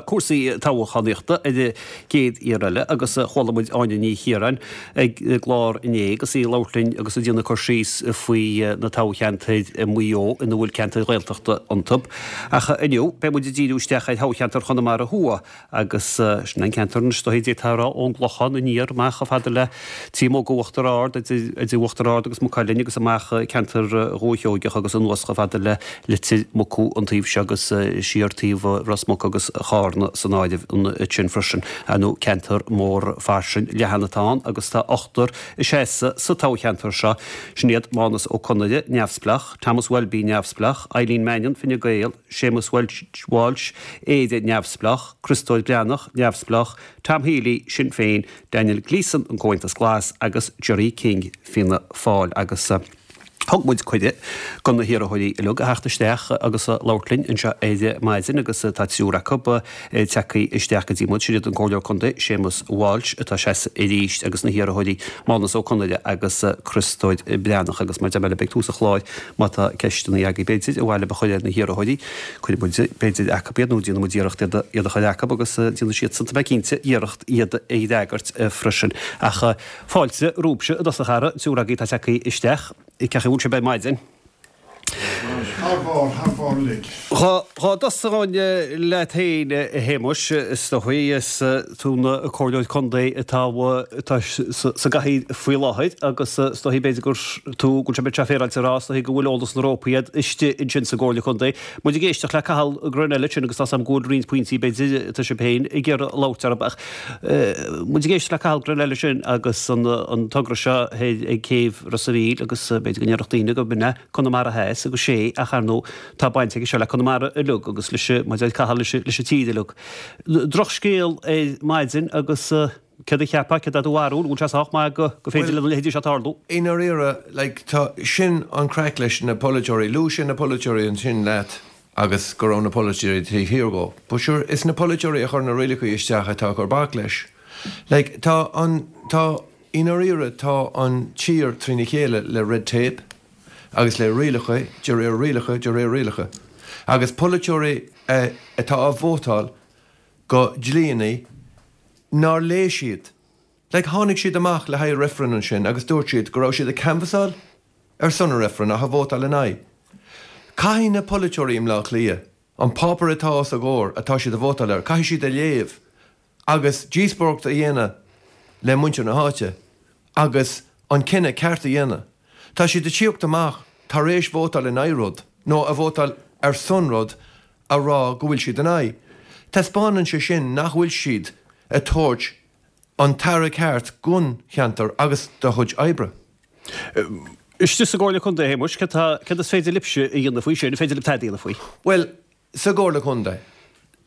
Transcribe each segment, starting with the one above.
cúrsaí toghchánaíochta ar an gcéad iarraidh eile agus chuala muid Áine Ní Chiaráin ag an gclár inné agus í ag labhairt linn agus ag déanamh cur síos faoi na toghcheantair i Maigh Eo ina bhfuil ceantair Ghaeltachta iontu. Ach inniu beidh muid ag díriú isteach ar thoghcheantar Chonamara Thuaidh Agus sin an ceantar anois, is dóichí, d'fhéadfá a rá, ón gClochán aniar amach chomh fada le Tíomóga Uachtar Ard, idir Uachtar Ard agus Maigh Cuilinn agus amach ceantar Dhúiche Sheoigeach agus anuas chomh fada le Leitir Mucú an taobh seo agus siar taobh Ros Muc agus Chárna san áireamh ansin freisin. Ar ndóigh, ceantar mór fairsing leathan atá ann agus tá ochtar ag seasamh sa toghcheantar seo. Sin iad Mánus Ó Conaire, Neamhspleách, Thomas Welby, Neamhspleách, Eileen Mannion, Fine Gael, Séamus Walsh, Éire Neamhspleách, Criostóir Breathnach, Neamhspleách, Tom Healy, Sinn Féin, Daniel Gleeson, An Comhaontas Glas, agus Gerry King, Fianna Fáil. Agus thug muid cuireadh do na hiarrthóirí uilig a theacht isteach agus a labhairt linn anseo ar maidin agus tá triúr acu tagtha isteach go dtí muid. Sin iad an Comhairleoir Contae Séamus Walsh atá ag seasamh arís agus na hiarrthóirí Mánus Ó Conaire agus Criostóir Breathnach agus mar a deir mé libh ag tús an chláir Má tá ceisteanna agaibh b'fhéidir, ar mhaith libh a chur ar na hiarrthóirí, cuirfidh muid b'fhéidir acu iad nó déanfaidh muid iarracht iad a chur acu agus déanfaidh siadsan, tá mé cinnte, iarracht iad a fhreagairt freisin. Ach fáilte romhaibhse i dtosach, a fheara, triúr agaibh atá tagtha isteach. Cén chaoi a bhfuil sibh ar maidin? Thar barr, thar barr uilig. Dhá dtosóinn leat féin, a Shéamuis, is dóigh, is tú ina comhairleoir contae atá atá sa gcathaoir faoi láthair agus is dóigh b'fhéidir gur tú, go bhfuil sé bit féaráilte a rá, is dóigh go bhfuil eolas na rópaí agat istigh ansin sa gComhairle Contae. Muid ag éisteacht le Cathal Grenell ansin agus tá 's agam go bhfuil roinnt pointí b'fhéidir atá sibh féin ag iarraidh labhairt orthu ach muid ag éisteacht le Cathal Grenell ansin agus an togra seo thoir ag céibh Ros a' Mhíl agus b'fhéidir go ndéarfadh daoine go b'in é Conamara Theas agus sé ach ar ndóigh tá baint aige seo le Conamara uilig agus leis an, mar a deir Cathal, leis an tír uilig. Drochscéal ar maidin agus céard a cheapfá, céard é do bharúil, an bhfuil sé sách maith go gur féidir lena leithéidí seo tarlú? I ndáiríre, like, tá, sin an craic leis na polaiteoirí, luaigh sé na polaiteoirí ansin leat agus go raibh na polaiteoirí taobh thiar dhó. But sure, is na polaiteoirí a chuir na rialacha isteach atá ag cur bac leis. Like, tá an, tá, I ndáiríre tá an tír trína chéile le red tape agus le rialacha de réir rialacha de réir rialacha agus polaiteoirí atá á vótáil do dhlíonnaí nár léigh siad. Like tháinig siad amach le haghaidh reifreann ansin agus dúirt siad go raibh siad ag canbhasáil ar son an reifreann ach ag vótáil in aghaidh. Caithfidh na polaiteoirí i mBleá Cliath an páipéar atá os a gcomhair atá siad ag vótáil air, caithfidh siad a léamh agus díospóireacht a dhéanamh le muintir na háite agus an cinneadh ceart a dhéanamh. Tá siad ag tíocht amach tar éis vótáil in aghaidh rud, nó a vótáil ar son rud, a rá go bhfuil siad in aghaidh. Taispeánann sé sin nach bhfuil siad ag tabhairt an t-aire ceart don cheantar agus dá chuid oibre. Istigh sa gComhairle Contae, a Shéamuis, céard tá, céard is féidir libhse a dhéanamh faoi sin? An féidir libh tada a dhéanamh faoi? Bhuel, sa gComhairle Contae,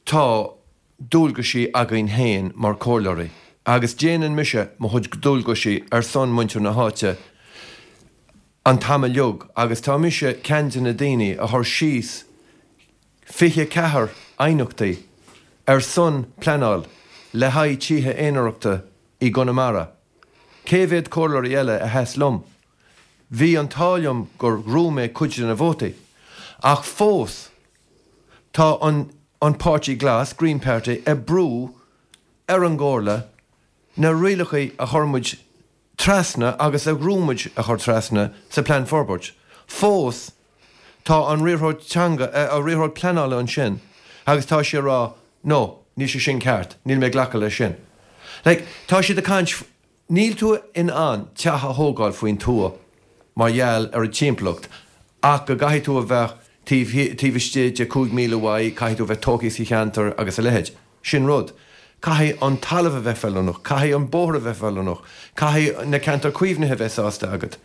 tá dualgaisí againn féin mar comhairleoirí agus déanann mise mo chuid dualgaisí ar son muintir na háite an t-am uilig agus tá mise ceann de na daoine a chuir síos 24 aighneachtaí ar son pleanáil le haghaidh tithe aonarachta i gConamara. Cé mhéad comhairleoirí eile a sheas liom? Bhí an t-ádh liom gur ghnóthaigh mé cuid de na vótaí. Ach fós Tá an an Páirtí Glas, Green Party, ag brú ar an gComhairle na rialacha a chuir muid trasna agus a ghnóthaigh muid a chur trasna sa Plean Forbairt. Fós tá an riarthóir teanga, an riarthóir pleanála ansin agus tá sé ag rá no, níl sé sin ceart, níl mé ag glacadh leis sin. Like, tá siad ag caint Níl tú in ann teach a thógáil faoin tuath mar gheall ar an timpeallacht ach go gcaithfidh tú a bheith taobh taobh istigh de 5 míle uaidh, caithfidh tú a bheith tógtha sa cheantar agus a leithéid. Sin rud. Caithfidh an talamh a bheith feiliúnach, caithfidh an bóthar a bheith feiliúnach, caithfidh na ceantair caomhnaithe a bheith sásta agat.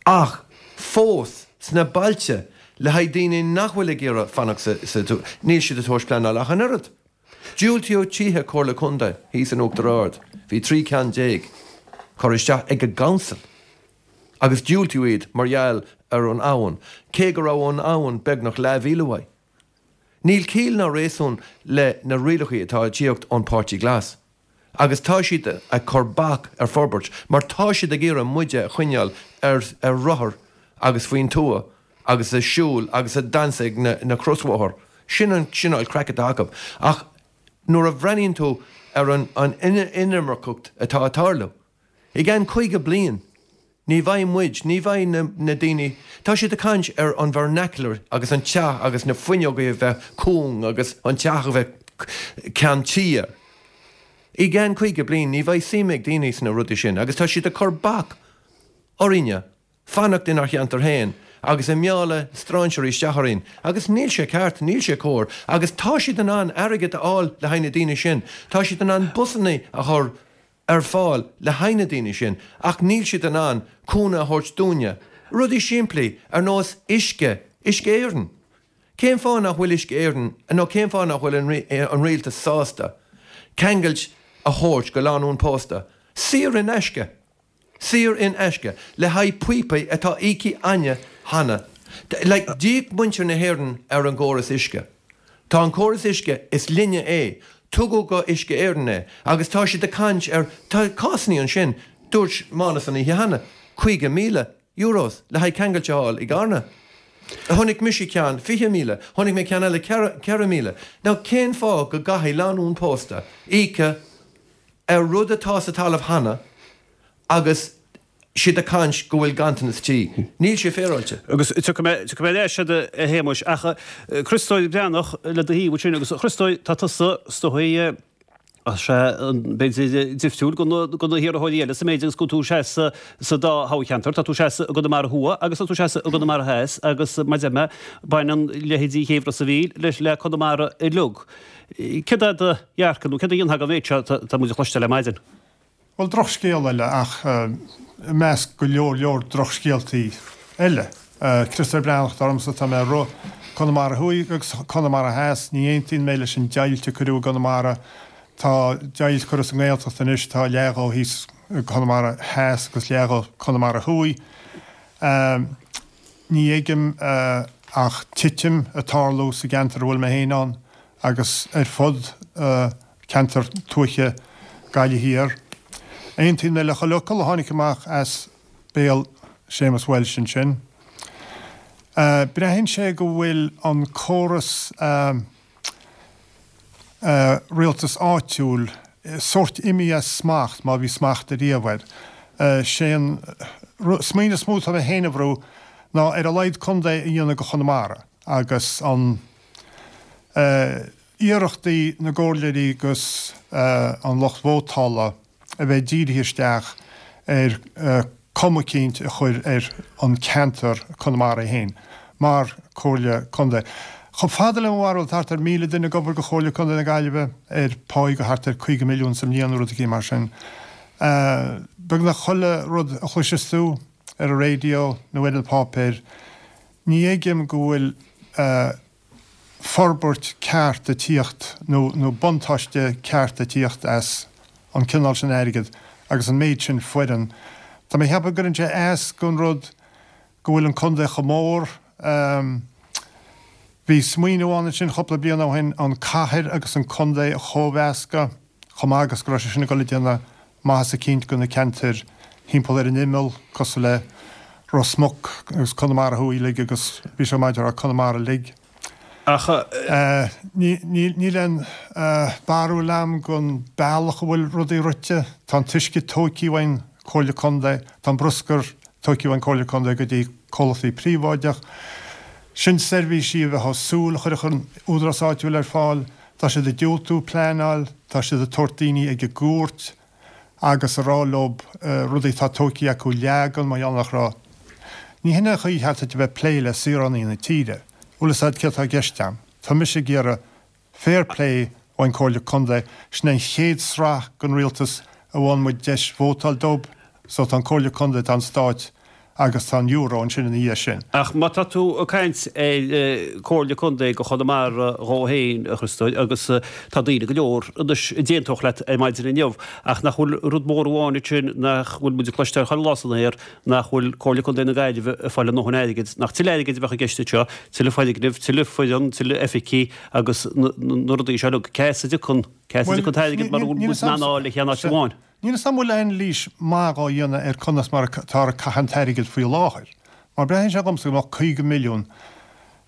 Ach fós, sna bailte, le haghaidh daoine nach bhfuil ag iarraidh fanacht sa tuath, níl siad ag tabhairt pleanáil ach an oiread. Diúltaíodh tithe Comhairle Contae thíos in Uachtar Ard, bhí 13 ceann curtha isteach ag an gcouncil agus diúltaíodh iad mar gheall ar an abhainn, cé go raibh an abhainn beagnach leathmhíle uaidh. Níl ciall ná réasún le na rialacha atá ag tíocht ón Páirtí Glas agus tá siad ag cur bac ar forbairt mar tá siad ag iarraidh muide a choinneáil ar ar rothar agus faoin tuath agus ag siúl agus ag damhsa ag na crosbhóthar. Sin an cineál craic atá acu. Ach nuair a bhreathnaíonn tú ar an inimirceacht atá ag tarlú, i gceann 50 bliain, ní bheidh muid, ní bheidh na daoine, tá siad ag caint ar an vernacular agus an teach agus na fuinneogaí a bheith cúng agus an teach a bheith ceann tí air. I gceann 50 bliain ní bheidh suim ag daoine sna rudaí sin agus tá siad ag cur bac orainne fanacht inár cheantar féin agus ag mealladh strainséirí isteach orainn agus níl sé ceart, níl sé cóir agus tá siad in ann airgead a fháil le haghaidh na daoine sin, tá siad in ann busanna a chur ar fáil le haghaidh na daoine sin ach níl siad in ann cúnamh a thabhairt dúinne. Rudaí simplí ar nós uisce, Uisce Éireann. Cén fáth nach bhfuil Uisce Éireann nó cén fáth nach bhfuil an rialtas sásta ceangailt a thabhairt go lánúin pósta saor in aisce? saor in aisce, le haghaidh píopaí atá íoctha againne cheana. Like, d'íoc muintir na hÉireann ar an gcóras uisce. Tá an córas uisce, is linne é, tugadh go Uisce Éireann é, agus tá siad ag caint ar, tá cásannaí ansin, dúirt Mánas an oíche cheana, 50,000 euros le haghaidh ceangailt a fháil i gCarna. Chonaic mise ceann 20,000, chonaic mé ceann eile 4,000. Now, cén fáth go gcaithfidh lánúin pósta íoc ar rud atá sa talamh cheana agus siad ag caint go bhfuil ganntanas tí. Níl sé féaráilte. Agus tiocfaidh mé, tiocfaidh mé ar ais agat a Shéamuis, ach Criostóir Breathnach le do thaobh ansin agus a Chriostóir tá tusa is dóigh, sea, b'fhéidir difriúil go na, go na hiarrthóirí eile sa méid agus go bhfuil tú ag seasamh sa dá thoghcheantar, tá tú ag seasamh i gConamara Thuaidh agus tá tú ag seasamh i gConamara Theas agus mar a deir mé, baineann leithéidí Chéibh Ros a' Mhíl leis le Conamara uilig. Céard é do dhearcadh nó céard a dhéanfá den mhéid seo atá muid a chloisteáil ar maidin? Bhuel, drochscéal eile ach i measc go leor leor drochscéaltaí eile. Criostóir Breathnach atá ormsa, tá mé ag rith Conamara Thuaidh agus Conamara Theas. Ní aontaíonn mé leis an deighilt a cuireadh i gConamara. Tá deighilt curtha sa nGaeltacht anois, tá leath dhó thíos i gConamara Theas agus leath dhó Conamara Thuaidh. Ní fheicim ach titim ag tarlú sa gceantar a bhfuil mé féin ann agus ar fud ceantar tuaithe Gaillimh Thiar. Aontaíonn mé le chuile fhocal a tháinig amach as béal Séamus Walsh ansin. Braitheann sé go bhfuil an córas rialtas áitiúil sórt imithe as smacht, má bhí smacht ariamh air. Sé an smaoineamh is mó atá mé féin a bhrú ná ar a laghad contae a dhéanamh de Chonamara agus an iarrachtaí na gcomhairleoirí agus an lucht vótála a bheith dírithe isteach ar cuma eicínt a chur ar an ceantar Conamara é féin mar Comhairle Contae. Chomh fada le mo bharúil tá thart ar 1,000 duine ag obair do Chomhairle Contae na Gaillimhe ar pháí de thart ar 50 milliún sa mbliain nó rud eicínt mar sin. Beagnach chuile rud a chloiseas tú ar an raidió nó ar na páipéir ní fheicim go bhfuil forbairt ceart ag tíocht nó nó buntáiste ceart ag tíocht as an cineál sin airgid agus an méid sin foireann. Tá mé ag ceapadh go gcuireann sé as don rud go bhfuil an contae chomh mór. Bhí smaoineamh ann ansin cúpla bliain ó shin an cathair agus an contae a chóimheascadh chomh maith agus go raibh sé sin ag dul ag déanamh maitheas eicínt do na ceantair thimpeall ar an imeall, cosúil le Ros Muc agus Conamara Thuaidh uilig agus bhí sé maith a rá Conamara uilig. Ach. Níl aon bharúil a'm gon bealach a bhfuil rudaí rite. Tá an t-uisce tóigthe uainn, Comhairle Contae, tá an bruscar tóigthe uainn Comhairle Contae go dtí comhlachtaí príobháideach. Sin seirbhísí a bheifeá ag súil a chuirfeadh an údarás áitiúil ar fáil. Tá siad ag diúltú pleanáil, tá siad ag tabhairt daoine ag an gcúirt agus ag rá leob rudaí atá tóigthe acu a leagan mar gheall nach raibh. Ní hin é an chaoi cheart duit a bheith ag plé le saoránaigh na tíre. Bhfuil fhios a'd céard atá i gceist a'm. Tá mise ag iarraidh fair play ón Comhairle Contae, sin é an chéad sraith den rialtas a bhfaigheann muid deis vótáil dóib, so tá an Comhairle Contae, tá an Stáit agus tá an Euro ansin ina dhiaidh sin. Ach má tá tú ag caint ar Comhairle Contae do Chonamara dhó féin, a Chriostóir, agus tá daoine go leor anois a d'aontódh leat ar maidin inniu, ach nach bhfuil rud mór amháin ansin nach bhfuil muid ag cloisteáil chuile lá san aer, nach bhfuil Comhairle Contae na Gaillimhe ag fáil a ndóthain airgid, nach tuilleadh airgid a bheadh i gceist anseo, tuilleadh foirgneamh, tuilleadh foireann, tuilleadh oifigí agus na rudaí seo uilig. Cá as a dtiocfaidh, cá as a dtiocfaidh an t-airgead mura bhfuil muid in ann a fháil le haon áit amháin? Níl 'fhios a'm an bhfuil anailís maith dhá dhéanamh ar conas mar atáthar ag caitheamh an t-airgead faoi láthair. Mar braitheann sé dhomsa go mbeadh 50 milliún.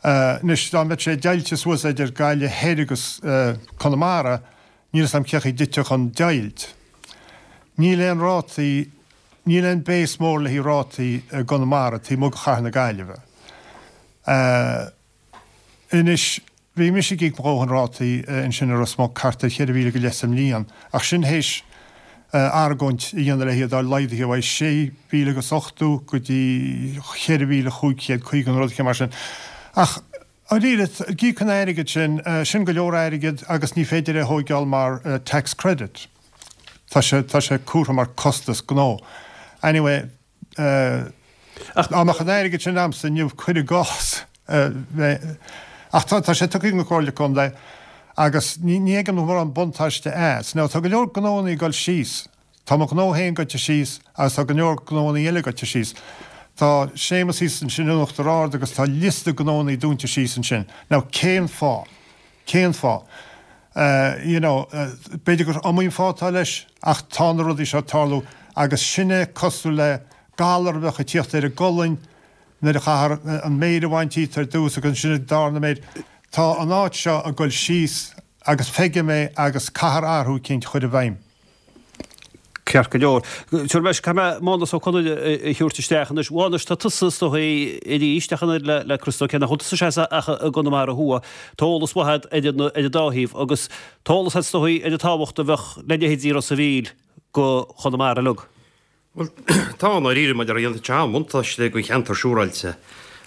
Anois, dá mbeadh sé deighilte suas idir Gaillimh Thoir agus Conamara, níl 'fhios a'm cé chaoi a dtitfeadh an deighilt. Níl aon rátaí, níl aon base mór le haghaidh rátaí i gConamara taobh amuigh de Chathair na Gaillimhe. Anois, bhí mise ag íoc mo dhóthain rátaí ansin i Ros Muc, thart ar cheithre mhíle go leith sa mbliain, ach sin théis argóint a dhéanamh le hiad a fháil laghdaithe ó 6,000 agus 80 go dtí 4,550 nó rud éicint mar sin. Ach, dáiríre, ag íoc an airgid sin, sin go leor airgid agus ní féidir é a thóigeáil mar tax credit. Tá sé, tá sé curtha mar costas gnó. Anyway, Ach dá mbeadh an airgead sin a'msa inniu, cuir i gcás, ach tá sé tugtha ag an Comhairle Contae agus ní fheicim mórán buntáiste as. Now tá go leor gnóannaí ag dul síos. Tá mo ghnó féin goite síos agus tá go leor gnóannaí eile goite síos. Tá Séamus thíos ansin in Uachtar Ard agus tá liosta gnóannaí dúnta síos ansin. Now cén fáth? Cén fáth? You know, b'fhéidir gur iomaí an fáth atá leis ach tá na rudaí seo ag tarlú agus sin é cosúil le galar a bheadh ag tíocht ar an gcolainn nuair a chaithfear an méir a bhaint díot ar dtús agus ansin an darna méir. Tá an áit seo ag dul síos agus feicim é agus caithfear athrú eicínt a chur i bhfeidhm. Ceart go leor. Tabharfaidh mé, caithfidh mé Mánus Ó Conaire a thabhairt isteach anois. Mhánais, tá tusa is dóigh arís ach an oiread le Criostó, cé nach bhfuil tusa istigh ach i gConamara Thuaidh. Tá eolas mhaith agat ar an dá thaobh agus tá eolas agat is dóigh ar an tábhacht a bheadh le leithéidí Ros a' Mhíl go Chonamara uilig. Bhuel, tá, i ndáiríre, maidir le dhéanfadh sé an-bhuntáiste don cheantar siúráilte.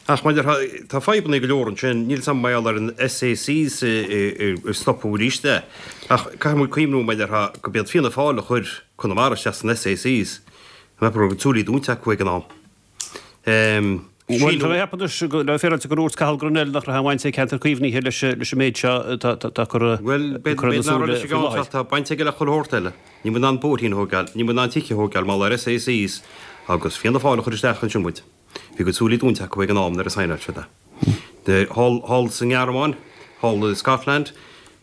Ach maidir le, tá fadhbanna go leor ansin, níl 'fhios a'm mar gheall ar an SACs a stopadh arís é. Ach caithfidh muid cuimhniú maidir le go b'iad Fianna Fáil a chuir Conamara isteach san SACs. An raibh a gcuid súilí dúnta acu ag an am? Bhuel, tá mé ag ceapadh anois, le bheith féaráilte, gur dhúirt Cathal Grenell nach raibh aon bhaint ag Ceantar Caomhnaithe leis an méid seo atá curtha Bhuel, b'fhéidir nach raibh leis an gceann seo, tá baint aige le chuile shórt eile. Níl muid in ann bóithrín a thógáil, níl muid in ann tithe a thógáil mar gheall ar SACs agus Fianna Fáil a chuir isteach ansin muid. Bhí a gcuid súilí dúnta acu ag an am nuair a saighneáil siad é. Thall sa nGearmáin, thall i Scotland,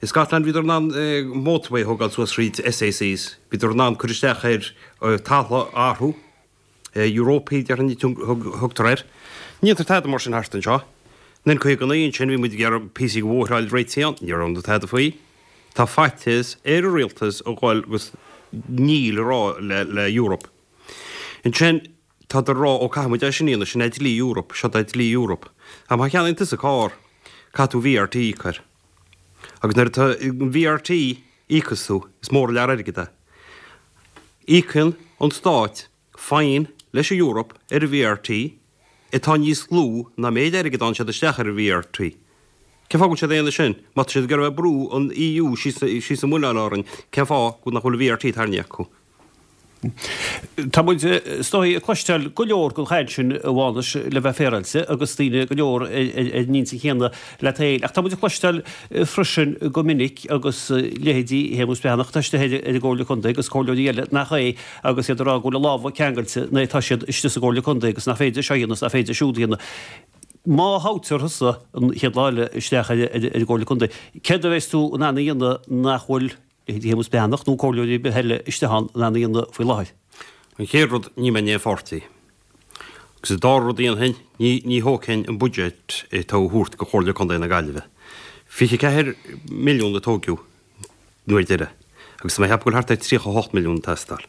i Scotland bhíodar in ann motorway a thógáil suas thríd SACs, bhíodar in ann cur isteach ar talamh a athrú. Europa déarfainn a thugtar air. Ní dhéantar tada mar sin thart anseo. In 59 ansin bhí muid ag iarraidh píosaí de bhóithre a fháil réitithe ann, ní raibh tada faoi. Tá faitíos ar an rialtas a dhul agus níl a rá le Europe. Ansin tádar a rá ó caithfidh muid é sin a dhéanamh, sin é dlí Europe, seo é dlí Europe. Ach má cheannaíonn tusa carr, caithfidh tú VRT a íoc air. Agus nuair atá an VRT íocas tú, is mór an lear airgid é. Íocann an Stát fine leis an Eoraip ar an VRT atá níos lú ná méid airgid a fhaigheann siad isteach ar an VRT. Cén fáth go bhfuil siad a dhéanamh sin? Má tá siad ag iarraidh a bheith ag brú an EU síos an muileann orainn, cén fáth nach bhfuil an VRT tarraingthe acu? Tá muid, is dóigh, ag cloisteáil go leor den chaint sin, a Mhánais, le bheith féaráilte, agus daoine go leor ar an intinn chéanna leat féin. Ach tá muid ag cloisteáil freisin go minic, agus leithéidí Shéamus Breathnach atá istigh ar an gComhairle Contae agus comhairleoirí eile nach é, agus iad ag rá go bhfuil a lámha ceangailte nuair atá siad istigh sa gComhairle Contae agus nach féidir seo a dhéanamh is nach féidir siúd a dhéanamh. Má thoghtar thusa an chéad lá eile isteach ar an gComhairle Contae, céard a bheas tú in ann a dhéanamh nach bhfuil leithéidí Shéamus Breathnach nó comhairleoirí ar bith eile istigh ann in ann a dhéanamh faoi láthair. An chéad rud, ní mbeinn in aon pháirtí. Agus an dara rud a dhéanfainn, ní, ní thógfainn an budget atá á thabhairt go Chomhairle Contae na Gaillimhe. 24 milliún a tóigeadh an uair deiridh agus tá mé ag ceapadh go bhfuil thart ar 38 milliún ag teastáil.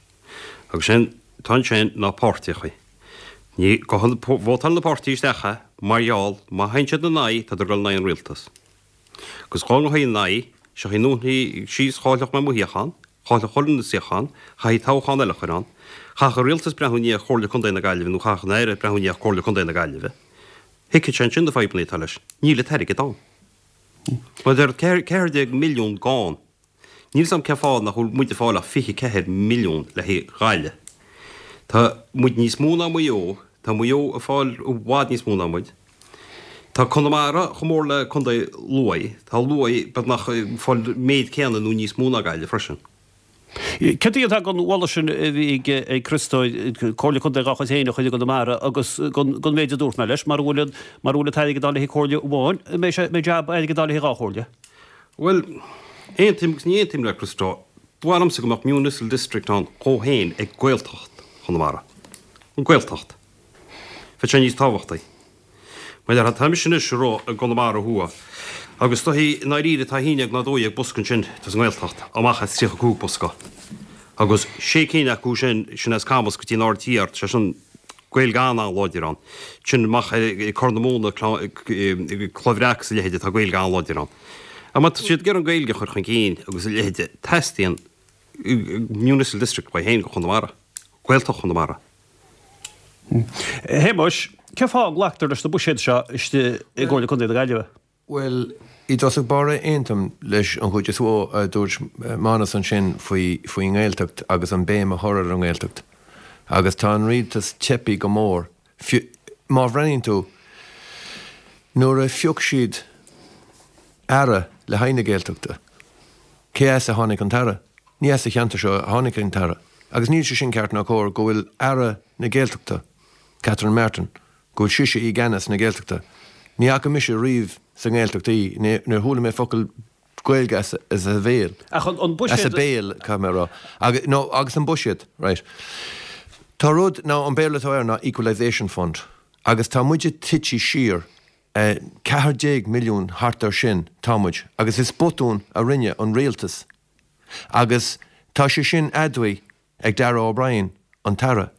Agus sin, tá ansin ná páirtíochaí. Ní, vótálann na páirtí isteach é mar gheall má théann siad ina aghaidh, tádar ag dul in aghaidh an rialtas. Agus dhá ngabhfaí ina aghaidh, seo í ndúnfaí síos, chaillfeadh mé mo shuíochán, chaillfeadh chuile dhuine suíochán, chaithfí toghchán eile a chur ann, chaithfeadh an rialtas breathnú i ndiaidh Chomhairle Contae na Gaillimhe nó chaithfeadh an Aire breathnú i ndiaidh Chomhairle Contae na Gaillimhe. Thuigfeadh sé ansin na fadhbanna atá leis. Níl an t-airgead ann. Mar a deir 14 milliún gann. Níl 'fhios a'm cén fáth nach bhfuil muid ag fáil ach 24 milliún le haghaidh Ghaillimh. Tá muid níos mó ná Maigh Eo, tá Maigh Eo ag fáil i bhfad níos mó ná muid. Tá Conamara chomh mór le Contae Lú, tá Lú beagnach ag fáil an méid céanna nó níos mó ná Gaillimh freisin. Céard a dhéanfá den mholadh sin a bhí ag Criostóir, Comhairle Contae dhá chuid féin a chur i gConamara agus den mhéid a dúirt mé leis, mara bhfuil an t-airgead ann le haghaidh comhairle amháin, an mbeidh jab airgead ann le haghaidh dhá chomhairle? Bhuel, aontaím agus ní aontaím le Criostó. Ba mhaith liomsa go mbeadh Municipal District ann dhó féin ag Gaeltacht Chonamara. An Gaeltacht. Bheadh sé níos tábhachtaí. Mar a déarfá, tá mise anois ag rá i gConamara Thuaidh agus is dóichí i ndáiríre tá 11 nó 12 bosca ansin sa nGaeltacht amach as 35 bosca agus sé cinn acu sin, sin as Camus go dtí an Aird Thiar, sé sin Gaeilge an-an-láidir ann. Sin amach ag Corr na Móna, Cloich Bhreac is a leithéide tá Gaeilge an-láidir ann. Ach má tá siad ag iarraidh an Ghaeilge a chur chun cinn agus a leithéide, teastaíonn Municipal District uaidh féin do Chonamara, Gaeltacht Chonamara. A Shéamuis, cén fáth a nglactar leis na buiséid seo istigh i gComhairle Contae na Gaillimhe? Bhuel, i dtosach báire aontaím leis an chuid is mó a dúirt Mánas ansin faoi faoin nGaeltacht agus an béim a chur ar an nGaeltacht. Agus tá an rialtas teipthe go mór. Fiú má bhreathnaíonn tú, nuair a phioc siad Aire le haghaidh na Gaeltachta, cé as a tháinig an tAire? Ní as an cheantar seo a tháinig an tAire. Agus níl sé sin ceart ná cóir go bhfuil Aire na Gaeltachta, Catherine Martin, go bhfuil sise i gceannas na Gaeltachta. Ní fhaca mise riamh sa nGaeltacht í, níor chuala mé focal Gaeilge as a bhéal. Ach an buiséad. As a béal, caithfidh mé a rá. Agus, no, agus an buiséad, right. Tá rud, now an Béarla atá air ná Equalisation Fund. Agus tá muide tite siar 14 milliún thart ar sin, tá muid, agus is botún a rinne an rialtas agus tá sé sin admhaithe ag Darragh O'Brien, an tAire,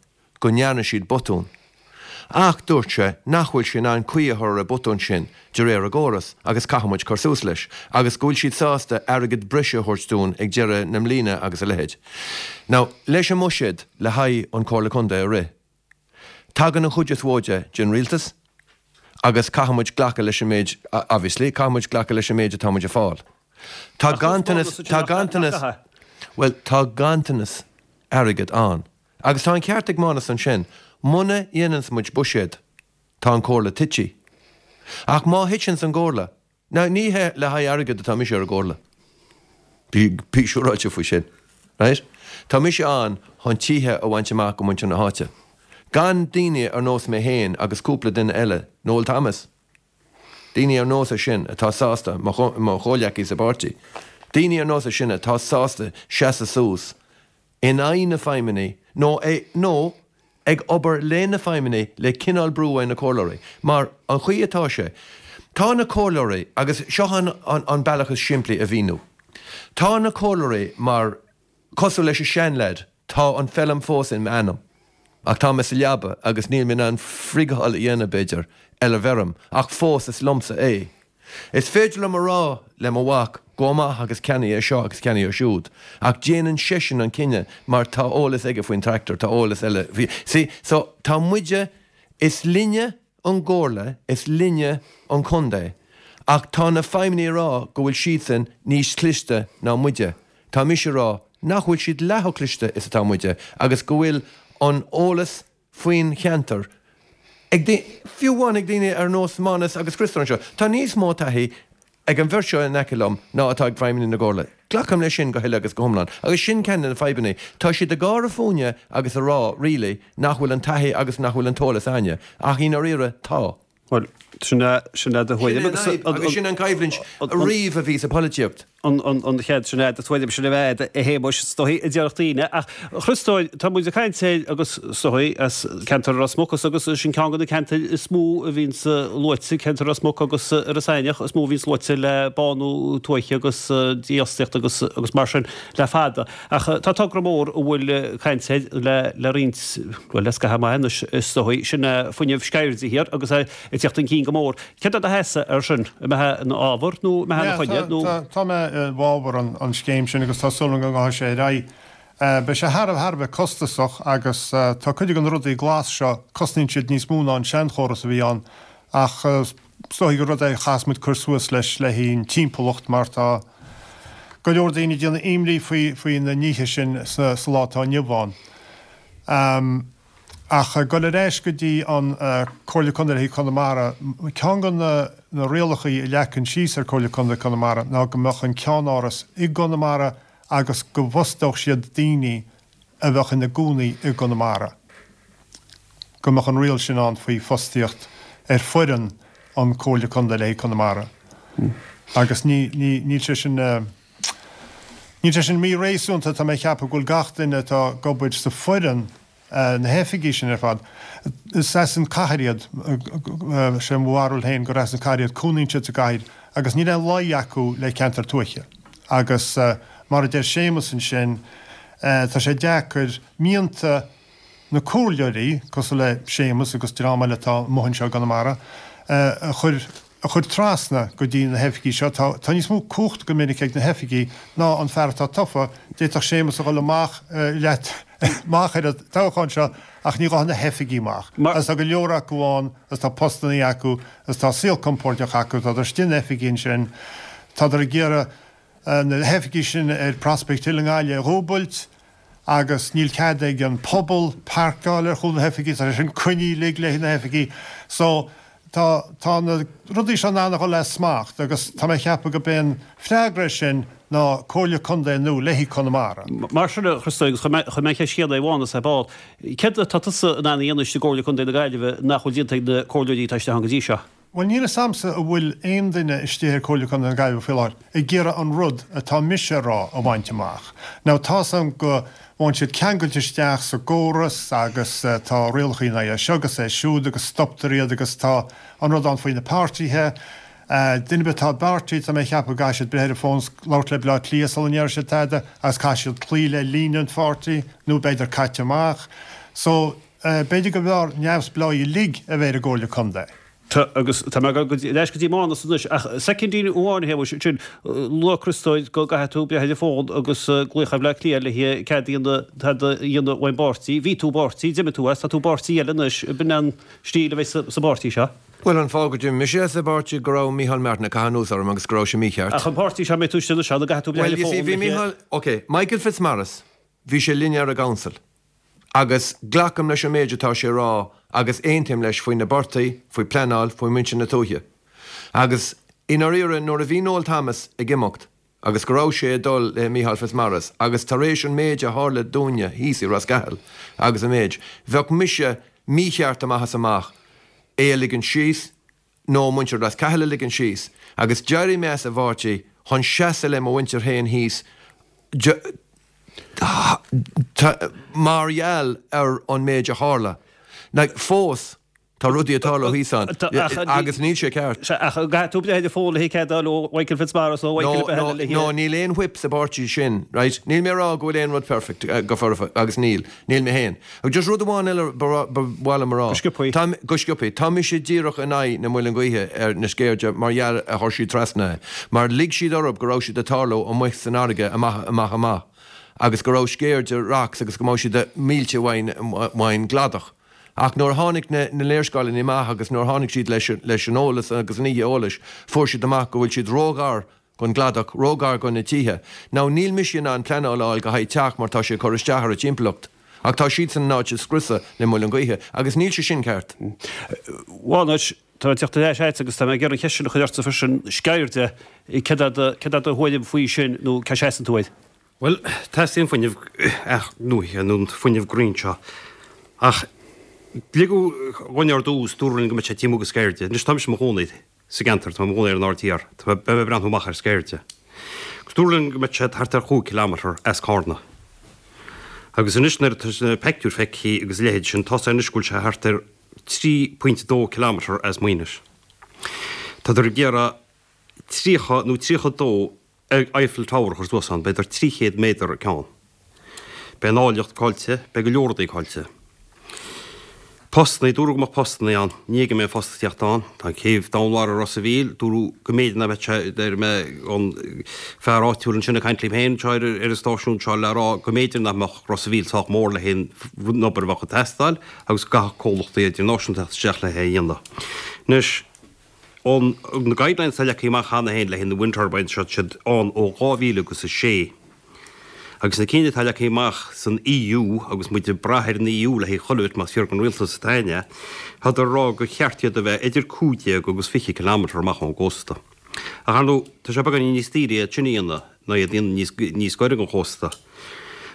go ndearna siad botún. Ach dúirt sé nach bhfuil sé in ann caoi a chur ar an botún sin de réir a gcóras agus caithfidh muid cur suas leis agus go bhfuil siad sásta airgead breise a thabhairt dúinn ag deireadh na mbliana agus a leithéid. Now, leis an mbuiséad le haghaidh an Comhairle Contae a rith, Tagann an chuid is mhó de den rialtas agus caithfidh muid glacadh leis an méid, obviously, caithfidh muid glacadh leis an méid atá muid ag fáil. Tá ganntanas, tá ganntanas, bhuel, tá ganntanas airgid ann. Agus tá an ceart ag Mánas ansin, muna dhéananns muid buiséad, tá an Comhairle tite. Ach má thiteanns an gComhairle, Now, ní hé le haghaidh airgid atá mise ar an gcomhairle. Bí, bí siúráilte faoi sin. Right? Tá mise ann chun tithe a bhaint amach go muintir na háite. Gan daoine ar nós mé féin agus cúpla duine eile, Noel Thomas, daoine ar nós é sin atá sásta, mo, mo chomhghleacaí sa bpáirtí, daoine ar nós é sin atá sásta seasamh suas in aghaidh na feidhmeannaigh nó nó ag obair le na feidhmeannaigh le cineál brú ar na comhairleoirí. Mar an chaoi atá sé, tá na comhairleoirí, agus seo an an bealach is simplí a mhíniú, tá na comhairleoirí mar, cosúil leis an seanleaid, tá an feilm fós in m'ainm ach tá mé sa leaba agus níl mé in ann friotháil a dhéanamh, b'fhéidir, ar an bhfeirm ach fós is liomsa é. Is féidir liom a rá le mo mhac, gabh amach agus ceannaigh é seo agus ceannaigh é siúd, ach déanann seisean an cinneadh mar tá eolas aige faoin tractor, tá eolas eile faoi, see, so tá muide, is linne an gcomhairle, is linne an contae, ach tá na feidhmeannaigh ag rá go bhfuil siadsan níos cliste ná muide, tá mise ag rá nach bhfuil siad leath chomh cliste is atá muide agus go bhfuil an eolas faoin cheantar ag daoine, fiú amháin ag daoine ar nós Mánas agus Criostóir anseo. Tá níos mó taithí ag an bheirt seo in aice liom ná atá ag feidhmeannaigh na gComhairle. Glacaim leis sin go huile agus go hiomlán. Agus sin ceann de na fadhbanna. Tá siad ag gáire fúinne agus ag rá, really, nach bhfuil an taithí agus nach bhfuil an t-eolas a'inne. Ach i ndáiríre, tá. Bhuel, sin é, sin é do thuairim agus. Sin é an fhadhb agus sin an choimhlint riamh a bhí sa pholaitíocht. An chéad, sin é do thuairim, sin é a Shéamuis, is dóigh, a déarfadh daoine. Ach, a Chriostóir, tá muid ag caint air agus is dóigh as ceantar Ros Muc agus sin ceann de na ceantair is mó a bhíonns luaite, ceantar Ros Muc agus Iorras Aithneach is mó a bhíonns luaite le bánú tuaithe agus dífhostaíocht agus agus mar sin le fada. Ach tá togra mór a bhfuil caint air le le roinnt, bhuel le scaitheamh maith anois is dóigh, sin é fuinneamh Sceirde Thiar agus é ag teacht chun cinn go mór. Céard é do sheasamh air sin? An mbeifeá ina fhábhar nó an mbeifeá ina choinne nó? Tá mé i bhfabhar an scéim sin agus tá súil agam go ngabhfaidh sé ar aghaidh. Beidh sé thar thar a bheith costasach agus tá cuid de na rudaí glas seo, cosnaíonn siad níos mó ná an seanchóras a bhí ann ach is dóigh gur rud é a chaithfeas muid cur suas leis le haghaidh an timpeallacht mar tá go leor daoine ag déanamh imní faoi faoi na nithe sin sa lá atá inniu ann. Ach ag dul ar ais go dtí an Comhairle Contae le haghaidh Conamara, ceann de na rialachaí a leagan síos ar Comhairle Contae Conamara ná go mbeadh an ceannáras i gConamara agus go bhfostódh siad daoine a bheadh ina gcónaí i gConamara. Go mbeadh an riail sin ann faoi fostaíocht ar foireann an Comhairle Contae le haghaidh Conamara. Agus ní, ní, níl sé sin, níl sé sin mí-réasúnta, tá mé ag ceapadh go bhfuil gach duine atá ag obair sa foireann. Na hoifigí sin ar fad, is as an cathair iad, sé mo bharúil féin gur as an cathair iad, cónaíonn siad sa gcathair agus níl aon luí acu le ceantar tuaithe. Agus mar a deir Séamus ansin, tá sé deacair mianta na comhairleoirí, cosúil le Séamus agus dream eile atá amuigh anseo i gConamara, a chur a chur trasna go dtí na hoifigí seo. Tá tá níos mó cumhachta go minic ag na hoifigí ná an fear atá tofa. D'fhéadfadh Séamus a dhul amach leat amach ar an toghchán seo ach ní ghabhfaidh na hoifigí amach. Agus tá go leor acu ann agus tá postannaí acu agus tá saol compordach acu, tádar istigh in oifigí ansin, tádar ag iarraidh na hoifigí sin ar Prospect Hill i nGaillimh a dhúbailt agus níl cead ag an pobal pairceáil ar chúl na hoifigí, tá sé sin coinnithe uilig le na hoifigí. So, tá, tá na rudaí seo in ann a dhul as smacht agus tá mé ag ceapadh go b'é an freagra air sin ná Comhairle Contae nua le haghaidh Conamara. Mar sin, a Chriostóir, agus chuir mé, chuir mé an cheist chéanna ar Mhánas ar ball, céard atá tusa in ann a dhéanamh istigh i gComhairle Contae na Gaillimhe nach bhfuil déanta ag na comhairleoirí atá istigh ann go dtí seo? Bhuel, níl 'fhios a'msa an bhfuil aon duine istigh ar Comhairle Contae na Gaillimhe faoi láthair ag iarraidh an rud atá mise a rá a bhaint amach. Now tá's a'm go bhfaigheann siad ceangailte isteach sa gcóras agus tá rialacha in aghaidh é seo agus é siúd agus stoptar iad agus tá an rud ann faoi na páirtithe. Duine ar bith atá i bpáirtí, tá mé ag ceapadh go gcaithfidh siad breith ar an bhfón 's labhairt le Baile Átha Cliath sula ndéarfaidh siad tada agus caithfidh siad cloí le líne an pháirtí nó beidh caite amach. So, B'fhéidir go mb'fhearr neamhspleáigh uilig a bheith ar an gComhairle Contae. Tá, agus tá mé ag dul ar ais go dtí Mánas anois, ach soicindín amháin a Shéamais, ansin, luaigh Criostóir go gcaithfidh tú breith ar an bhfón agus glaoch ar Bhleá Cliath le cead a dhéanamh, tada a dhéanamh ón bpáirtí. Bhí tú i bpáirtí, d'imigh tú as, tá tú i bpáirtí eile anois, b'in an stíl a bheidh sa bpáirtí seo. Bhuel, an fáth go d'imigh mise as an bpáirtí go raibh Micheál Martin ag caitheamh anuas orm agus go raibh sé mícheart. Ach an páirtí seo a mbeidh tú istigh anois ann, an gcaithfidh tú breith ar an bhfón Bhuel, you see, bhí Micheál, ok, Michael Fitzmaurice, bhí sé linn ar an gcouncil. Agus glacaim leis an méid atá sé a rá agus aontaím leis faoi na portaigh, faoi pleanáil, faoi muintir na tuaithe. Agus i ndáiríre nuair a bhí Noel Thomas ag imeacht agus go raibh sé ag dul le Micheál Fitzmaurice agus tar éis an méid a tharla dúinne thíos i Ros Cathail agus an méid, bheadh mise mícheart amach is amach é a ligean síos, nó muintir Ros Cathail a ligean síos, agus d'éirigh mé as an bpáirtí chun seasamh le mo mhuintir féin thíos mar gheall ar an méid a tharla. Like, fós, tá rudaí ag tarlú thíos ann, agus níl sé ceart. Ach caithfidh tú breith ar an bhfón le cead a fháil ó Mhichael Fitzmaurice nó Michael ar bith eile le No, níl aon whip sa bpáirtí sin, right? Níl mé ag rá go bhfuil aon rud perfect go foirfe, agus níl. Níl mé féin. Ach just rud amháin eile ba mhaith liom a rá. Go sciobthaí. Tá, go sciobthaí. Tá mise díreach in aghaidh na muileann gaoithe ar na Sceirde mar gheall a chuir siad trasna é. Mar lig siad orthu go raibh siad ag tarlú amuigh san fharraige amach, amach, amach. Agus go raibh Sceirde Rocks agus go mbeadh siad mílte uainn, uainn gcladach. Ach nuair a tháinig na, na léarscáileanna amach agus nuair a tháinig siad leis, leis an eolas agus an oíche eolais, fuair siad amach go bhfuil siad róghar gon gcladach, róghar go na tithe. Now níl mise in ann pleanáil a fháil go haghaidh teach mar tá sé ag cur isteach ar an timpeallacht. Ach tá siadsan in ann áit a scriosadh le muileann gaoithe agus níl sé sin ceart. Bhuel anois, tá mé ag teacht ar ais agat agus tá mé ag iarraidh an cheist sin a chur ortsa freisin, Sceirde, céard é do, céard é do thuairim faoi sin nó cá seasann tú air? Bhuel, teastaíonn fuinneamh athnuaithe nó an fuinneamh green seo. Ach ligeadh dhúinn ar dtús, dúradh linn go mbeadh sé taobh amuigh de Sceirde. Anois tá mise i mo chónaí sa gceantar, tá mé i mo chónaí ar an Aird Thiar, tá mé, beidh mé ag breathnú amach ar Sceirde. Agus dúradh linn go mbeadh sé thart ar chúig kilometre as Cárna. Agus anois nuair atá na peictiúir feicthe agus a leithéid sin, tá sé anois go bhfuil sé thart ar 3.2 kilometre as Maínis. Tádar ag iarraidh 30 nó 32 Eiffel Tower a chur suas ann, b'fhéidir 300 méadar an ceann. Beidh an áilleacht caillte, beidh go leor rudaí caillte. Postannaí, dúradh go mbeadh postannaí ann, ní fheicim aon phost ag teacht ann. Tá an céibh Domhainmhara i Ros a' Mhíl, dúradh go mb'fhéidir nach mbeadh sé, deir mé, an fear áitiúil ansin ag caint liom féin anseo ar an stáisiún seo le rá go mb'fhéidir nach mbeadh Ros a' Mhíl sách mór le haghaidh an obair a bheadh ag teastáil agus go gcaithfeadh comhlachtaí idirnáisiúnta teacht isteach le hé a dhéanamh. Anois, An, na guidelines atá leagtha amach cheana féin le haghaidh na wind turbines seo, tá siad ann ó 2000 agus a sé. Agus na cinn atá leagtha amach san EU, agus muid ag brath ar an EU le haghaidh chuile bit más fíor don rialtas atá againne, tádar ag rá gur cheart iad a bheith idir 15 agus 20 kilometre amach ón gcósta. Ach ar ndóigh, tá sé beagáinín níos daoire iad sin a dhéanamh ná iad a dhéanamh níos, níos gaire don chósta.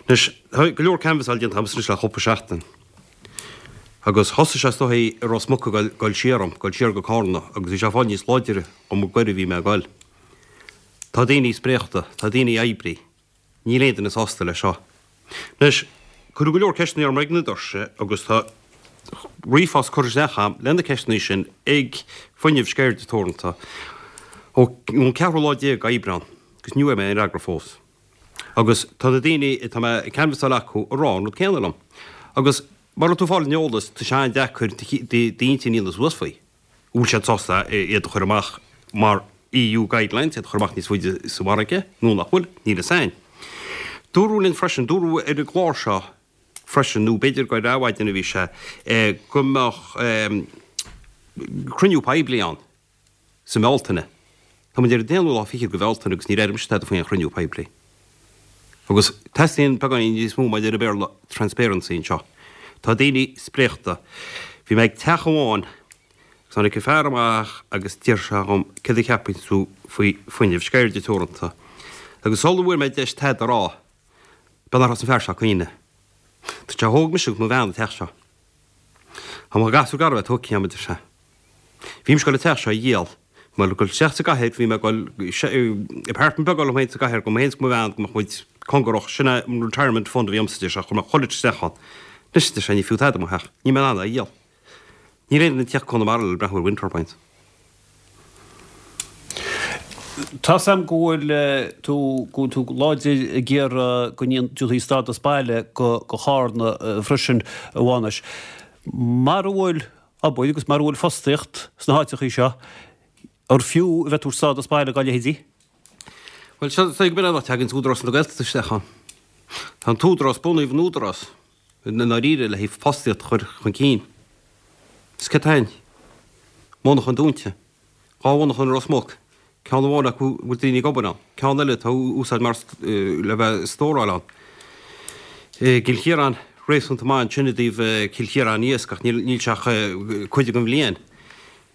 Anois, tá go leor canbhasáil déanta agamsa anois le cúpla seachtain. Agus thosaigh sé is dóigh i Ros Muc ag goil siar orm, goil siar go Cárna, agus bhí sé ag fáil níos láidre chomh mo gaire a bhí mé ag goil. Tá daoine spréachta, tá daoine oibrithe. Níl aon duine sásta leis seo. Anois, Cuireadh go leor ceisteanna orm ag na doirse agus tá ríomhphost curtha isteach agam le na ceisteanna sin ag Fuinneamh Sceirde Teoranta ón ceathrú lá déag Aibreán agus ní bhfuair mé aon fhreagra fós. Agus tá na daoine atá mé ag canbhasáil acu ag rá an rud céanna liom. Agus mura bhfuil tú ag fáil an eolas tá sé an-deacair d'intinn a dhéanamh suas faoi. An bhfuil siad sásta iad a chur amach mar EU guidelines, iad a chur amach níos faide sa bhfarraige nó nach bhfuil, níl fhios a'inn. Dúradh linn freisin, dúradh ar an gclár seo freisin, nó b'fhéidir gur ar Adhmhaidin a bhí sé, go mbeadh cruinniú poiblí ann sa mBealtaine. Tá muid ar an aonú lá fichead de Bhealtaine agus níor airigh mise tada faoi aon chruinniú poiblí. Agus teastaíonn beagáinín níos mó mar a deir an Béarla transparency anseo. Tá daoine spréachta. Bhí mé ag teach amháin agus tháinig an fear amach agus d'iarr sé dhom céard a cheapann tú faoi Fuinneamh Sceirde Teoranta. Agus sula bhfuair mé deis tada a rá, b'é nár thosaigh an fear seo ag caoineadh. Dúirt sé, thóg mise agus mo bhean an teach seo. Tá mo ghasúr garbh tógtha agam, a deir sé. Bhí mise ag dul an teach seo a dhíol. Mé ag dul isteach sa gcathair, bhí mé ag dul apartment beag a fháil dom féin sa gcathair, dom féin is do mo bhean, go mbeadh muid cóngarach. Sin é an retirement fund a bhí agamsa, a deir sé, chuir mé chuile shórt isteach ann. Anois, a deir sé, ní fiú tada mo theach. Níl mé in ann é a dhíol. Níl aon duine ag tíocht go Conamara le breathnú ar wind turbines. Tá's a'm go bhfuil tú, go bhfuil tú láidir ag iarraidh go ndéanfaí stádas baile go Charna freisin, a Mhánais. Mara bhfuil obair agus mara bhfuil fostaíocht sna háiteachaí seo, ar fiú a bheith ag tabhairt stádas baile dá leithéidí? Bhuel, seo, is dóigh go b'in an áit a dtagann Údarás na Gaeltachta isteach ann. Tá an t-údarás, bunaíodh an údarás i ndáiríre le haghaidh fostaíocht a chur chun cinn. Is céard atá ann? Monarchan dúnta. 2 mhonarchan i Ros Muc, ceann amháin acu a bhfuil daoine ag obair ann, ceann eile atá á úsáid mar le bheith ag stóráil ann. I gCill Chiaráin, réasúnta maith ansin i dtaobh Cill Chiaráin Iasc ach níl sé ach cuid den bhliain.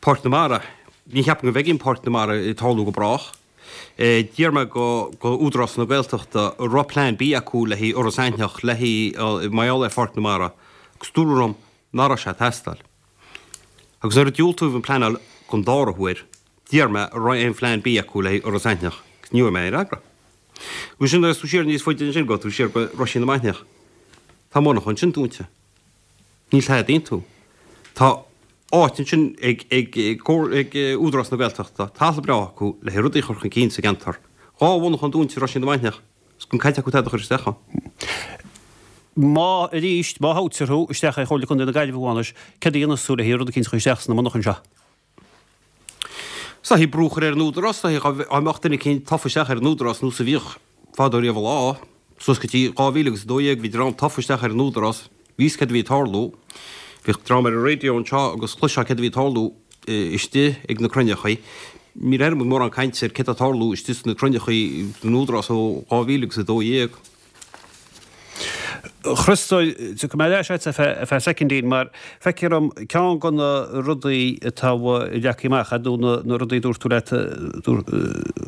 Páirc na Mara, ní cheapaim go bhfeicfidh an Páirc na Mara ag tarlú go brách. D'iarr mé go Údarás na Gaeltachta an raibh plean B acu le haghaidh Iorras Aithneach, le haghaidh mar gheall ar Pháirc na Mara agus dúradh liom nach raibh sé ag teastáil. Agus nuair a diúltaíodh an pleanáil don dara huair, d'iarr mé an raibh aon phlean B acu le haghaidh Iorras Aithneach agus ní bhfuair mé aon fhreagra. Agus ansin agus tú siar níos faide ansin, gabh tú siar go Roisín na Mainiach. Tá monarcha ansin dúnta. Níl tada iontu. Tá áit ansin ag ag ag Údarás na Gaeltachta, talamh breá acu le haghaidh rudaí a chur chun cinn sa gceantar. 2 mhonarchan dúnta i Roisín na Mainiach. Is gan cead acu tada a chur isteach ann. Má, arís, má thoghtar thú isteach ar Chomhairle Contae na Gaillimhe, a Mhánais, céard a dhéanfas tú le haghaidh rud eicínt a chur isteach sna monarchain seo? Is dóichí brú a chur ar an Údarás, is dóichí dá mbeadh duine eicínt tofa isteach ar an Údarás nós a bhíodh fadó riamh an lá, suas go dtí 2012 bhí dream tofa isteach ar an Údarás, bhí fhios céard a bhí ag tarlú. Bhíodh dream ar an raidió anseo agus chloisfeá céard a bhí ag tarlú istigh ag na cruinneachaí. Níor airigh muid mórán cainte ar céard atá ag tarlú istigh sna cruinneachaí san Údarás ó 2012. A Chriostóir, tiocfaidh mé ar ais agat ar feadh soicindín mar feictear dom ceann de na rudaí atá leagtha amach agat nó na rudaí a dúirt tú leat, ba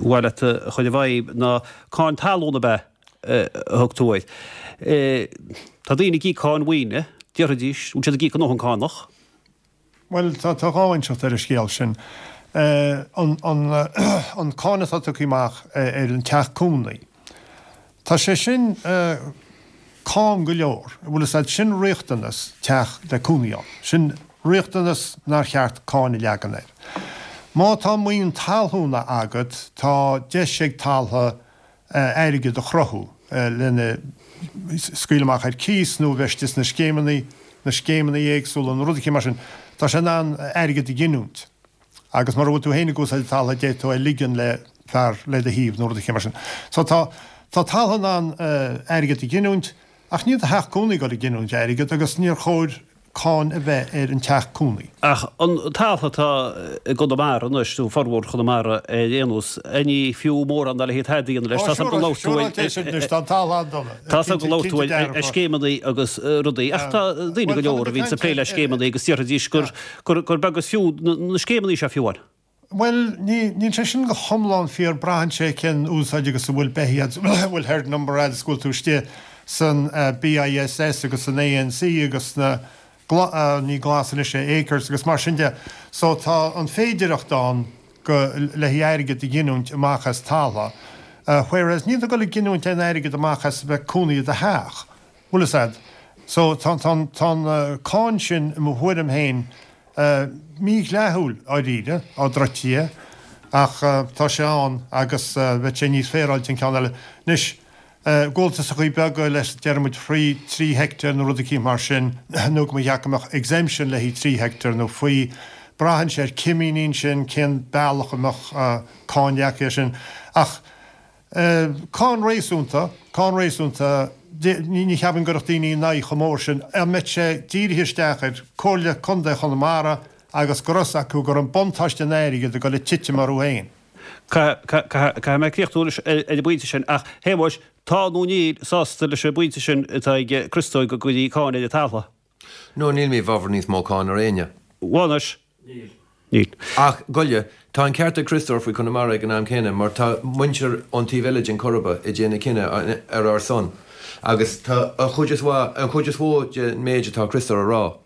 mhaith leat a chur i bhfeidhm ná cáin talún ab ea a thug tú air. Tá daoine ag íoc cáin mhaoine, déarfaidís, bhfuil siad ag íoc a ndóthain cánach? Bhuel, tá dhá inseacht ar an scéal sin. An an cáin atá tugtha amach ar an teach cónaí, tá sé sin cam go leor. Bhfuil fhios a'd, sin riachtanas teach le cónaí ann. Sin riachtanas nár cheart cáin a leagan air. Má tá maoin talúna agat, tá deis ag taltha airgead a chruthú lena scaoileadh amach ar cíos nó a bheith istigh sna scéimeanna, na scéimeanna éagsúla nó rud eicínt mar sin, tá sé in ann airgead a ghiniúint. Agus mura bhfuil tú féin ag úsáid an taltha, d'fhéadfá é a ligean le fear le do thaobh nó rud eicínt mar sin. So tá, tá taltha in ann airgead a ghiniúint ach níl do theach cónaí ag dul ag giniúint airgead agus níor chóir cáin a bheith ar an teach cónaí. Ach an taltha atá i gConamara anois, nó formhór Chonamara ar aon nós, ní fiú mórán dá leithéid tada a dhéanamh leis. Tá 's agam go labhair tú ar, tá 's agam go labhair tú ar scéimeanna agus rudaí, ach tá daoine go leor a bhíonns ag plé le scéimeanna agus déarfaidís gur gur beag is fiú na scéimeanna seo fiú amháin. Bhuel, ní, níl sé sin go hiomlán fíor, braitheann sé cén úsáid agus an bhfuil beithígh agat, an bhfuil herd number agat is go bhfuil tú istigh san BISS agus san ANC agus sna, ní glas anois é, Acres agus mar sin de. So tá an féidireacht ann go, le haghaidh airgead a ghiniúint amach as talamh, whereas níl tú ag dul ag giniúint aon airgead amach as a bheith cónaí i do theach. Bhfuil fhios a'd. So tá an cáin sin, i mo thuairim féin, mídhleathúil dháiríre, á druidtí é, ach tá sé ann agus bheadh sé níos féaráilte an ceann eile. Anois, gabháltasachaí beaga le, déarfaidh muid, faoi 3 heicteár nó rud eicínt mar sin, nó go mba cheart go mbeadh exemption le haghaidh 3 heicteár nó faoi, braitheann sé ar cimíní ansin, cén bealach a mbeadh cáin leagtha air sin. Ach. Cáin réasúnta, cáin réasúnta, ní cheapaim go gcuirfeadh daoine in aghaidh chomh mór sin, dá mbeadh sé dírithe isteach ar Comhairle Contae Chonamara agus go raibh fhios acu go raibh an buntáiste an airgid ag dul ag titim orthu féin. Caithfidh mé críochnú anois ar an bpointe sin ach, Shéamuis, tá nó níl sásta leis an bpointe sin atá ag Criostóir go gcuirfí cáin ar an talamh? No, níl mé i bhfabhar níos mó cáin ar éinne. Mhánais? Níl. Níl. Ach, goile, tá an ceart ag Criostóir faoi Conamara ag an am céanna mar tá muintir ón taobh eile den Coirib ag déanamh cinneadh ar ár son agus tá an chuid is mhaith, an chuid is mhó den méid atá Criostóir a rá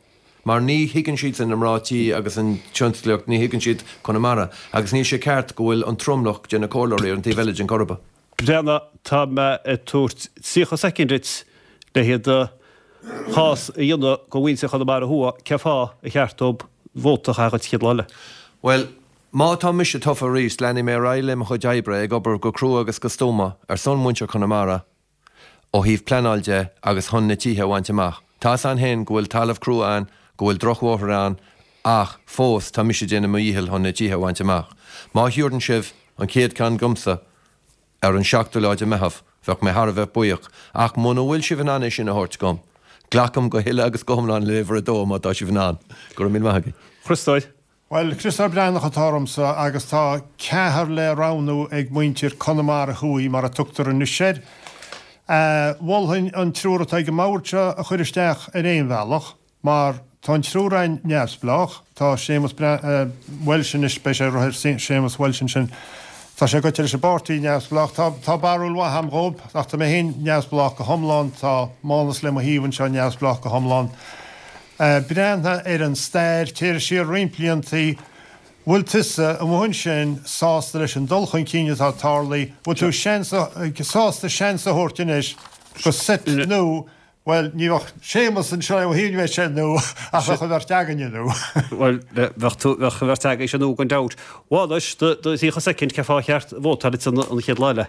mar ní thuigeann siadsan na mná tí agus an tionsclaíocht, ní thuigeann siad Conamara agus níl sé ceart go bhfuil an tromlach de na comhairleoirí ar an taobh eile den Coirib. Breathnaigh, tá mé ag tabhairt 30 soicind duit le haghaidh do chás a dhéanamh do mhuintir Chonamara Thuaidh, cén fáth ar cheart dóibh vóta a chaitheamh dhuit an chéad lá eile? Bhuel, má tá mise tofa arís, leanfaidh mé ar aghaidh le mo chuid oibre, ag obair go crua agus go stuama ar son mhuintir Chonamara ó thaobh pleanáil de agus chun na tithe a bhaint amach. Tá 'fhios a'inn féin go bhfuil talamh crua ann, go bhfuil drochbhóithre ann ach fós tá mise ag déanamh mo dhícheall chun na tithe a bhaint amach. Má thiúrann sibh an chéad ceann dhomsa ar an seachtú lá de Meitheamh, bheadh mé thar a bheith buíoch, ach muna bhfuil sibh in ann é sin a thabhairt dhom, glacaim go huile agus go hiomlán le uimhir a dó má tá sibh in ann. Go raibh míle maith agaibh. Chriostóir. Bhuel, Criostóir Breathnach atá ormsa agus tá ceathrar le roghnú ag muintir Conamara Thuaidh, mar a tugtar anois air. Mholfainn an triúr atá ag an mbord seo a chur isteach ar aon bhealach. Mar tá an triúr againn neamhspleách, tá Séamus Walsh anois, beidh sé ag rith ar Séamus Walsh ansin, tá sé goite leis an bpáirtí neamhspleách, tá, tá barúil mhaith a'm dhóib, ach tá mé féin neamhspleách go hiomlán, tá Mánas le mo thaobh anseo neamhspleách go hiomlán. Breathnaigh ar an stair, téir siar roinnt bliantaí, bhfuil tusa amuigh ansin sásta leis an dul chun cinn atá tarlaithe, bhfuil tú seans, sásta seans a thabhairt anois go seit nua Bhuel, ní bheadh Séamus anseo ó shin, bheadh sé nua, ach bheadh an bheirt againne nua. Bhuel, bheadh tú, bheadh an bheirt agaibhse nua gan dabht. Mhánais, do, do 30 soicind, cén fáth ar cheart vótáil duit an, an chéad lá eile?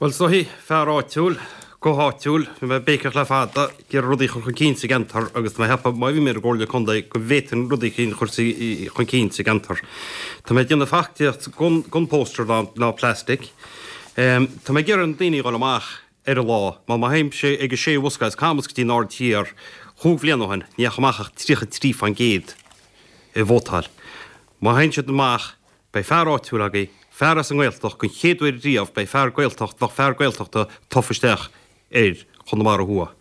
Bhuel, is dóichí, fear áitiúil, go háitiúil, bhí mé ag béiceach le fada, ag iarraidh rudaí a chur chun cinn sa gceantar agus tá mé ag ceapadh má bhí mé ar an gComhairle Contae go bhféadfainn rudaí a chur chun cinn sa gceantar. Tá mé ag déanamh feachtaíocht gan, gan poster ná, ná plastic. Tá mé ag iarraidh na daoine a dhul amach ar an lá. Mar má théimse ag a sé bhosca as Camas go dtí an Aird Thiar chúig bhliain ó shin, ní dheachaigh amach ach 33 fán gcéad ag vótáil. Má théann siad amach, beidh fear áitiúil agaibh, fear as an nGaeltacht, don chéad uair riamh beidh fear Gaeltacht, bheadh fear Gaeltachta tofa isteach ar Chonamara Thuaidh.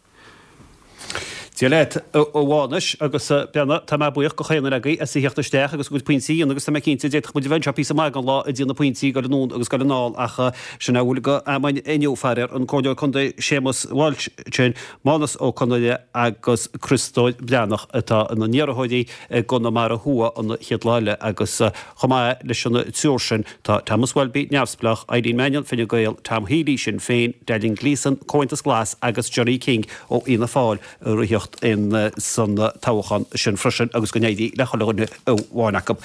Dia leat, a Mhánais, agus a Breathnaigh, tá mé buíoch go chaon duine agaibh as a theacht isteach agus a gcuid pointí a dhéanamh agus tá mé cinnte d'fhéadfadh muid a bheith anseo píosa maith den lá ag déanamh pointí ag dul anonn agus ag dul anall ach sin é a bhfuil go am inniu, faraor, an Comhairleoir Contae Séamus Walsh sin, Mánas Ó Conaire agus Criostóir Breathnach atá ina n-iarrthóirí i gConamara Thuaidh an chéad lá eile agus chomh maith leis an triúr sin tá Thomas Welby, Neamhspleách, Eileen Mannion, Fine Gael, Tom Healy, Sinn Féin, Dallin Gleeson, Comhaontas Glas agus Gerry King ó Fhianna Fáil ag ritheacht in san toghchán sin freisin agus go n-éirí le chuile dhuine amháin acu.